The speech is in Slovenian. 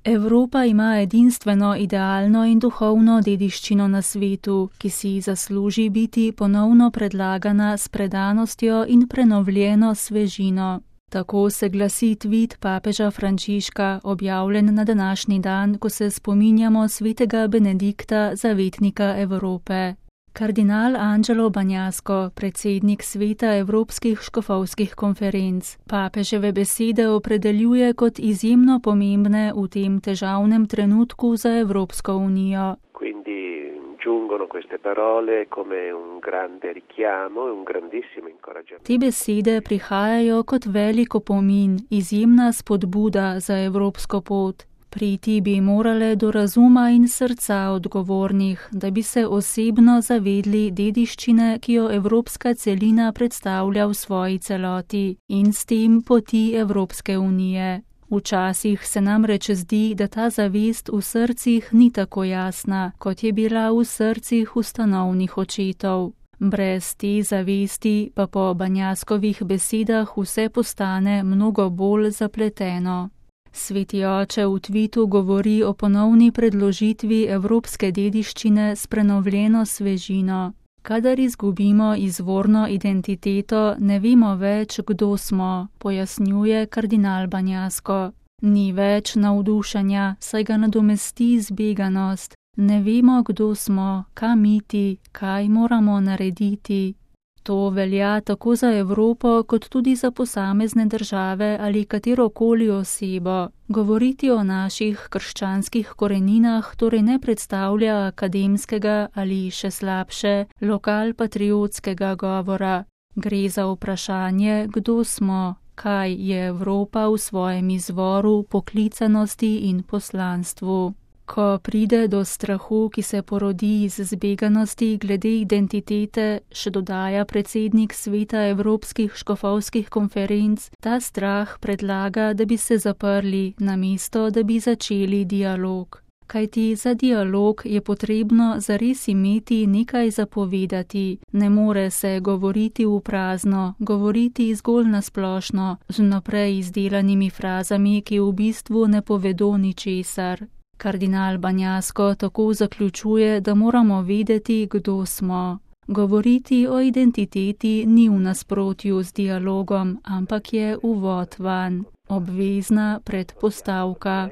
Evropa ima edinstveno idealno in duhovno dediščino na svetu, ki si zasluži biti ponovno predlagana s predanostjo in prenovljeno svežino. Tako se glasi tvit papeža Frančiška, objavljen na današnji dan, ko se spominjamo svetega Benedikta, zavetnika Evrope. Kardinal Angelo Bagnasco, predsednik sveta Evropskih škofovskih konferenc, papeževe besede opredeljuje kot izjemno pomembne v tem težavnem trenutku za Evropsko unijo. Te besede prihajajo kot velik opomin, izjemna spodbuda za evropsko pot. Priti bi morale do razuma in srca odgovornih, da bi se osebno zavedli dediščine, ki jo evropska celina predstavlja v svoji celoti, in s tem poti Evropske unije. Včasih se namreč zdi, da ta zavest v srcih ni tako jasna, kot je bila v srcih ustanovnih očetov. Brez te zavesti pa po Bagnascovih besedah vse postane mnogo bolj zapleteno. Sveti oče v tvitu govori o ponovni predložitvi evropske dediščine s prenovljeno svežino. Kadar izgubimo izvorno identiteto, ne vemo več, kdo smo, pojasnjuje kardinal Bagnasco. Ni več navdušenja, saj ga nadomesti zbeganost. Ne vemo, kdo smo, kam iti, kaj moramo narediti. To velja tako za Evropo, kot tudi za posamezne države ali katerokoli osebo. Govoriti o naših krščanskih koreninah torej ne predstavlja akademskega ali še slabše, lokalpatriotskega govora. Gre za vprašanje, kdo smo, kaj je Evropa v svojem izvoru, poklicanosti in poslanstvu. Ko pride do strahu, ki se porodi iz zbeganosti glede identitete, še dodaja predsednik sveta Evropskih škofovskih konferenc, ta strah predlaga, da bi se zaprli, namesto da bi začeli dialog. Kajti za dialog je potrebno zares imeti nekaj zapovedati, ne more se govoriti v prazno, govoriti zgolj na splošno, z vnaprej izdelanimi frazami, ki v bistvu ne povedo ničesar. Kardinal Bagnasco tako zaključuje, da moramo vedeti, kdo smo. Govoriti o identiteti ni v nasprotju z dialogom, ampak je uvod vanj, obvezna predpostavka.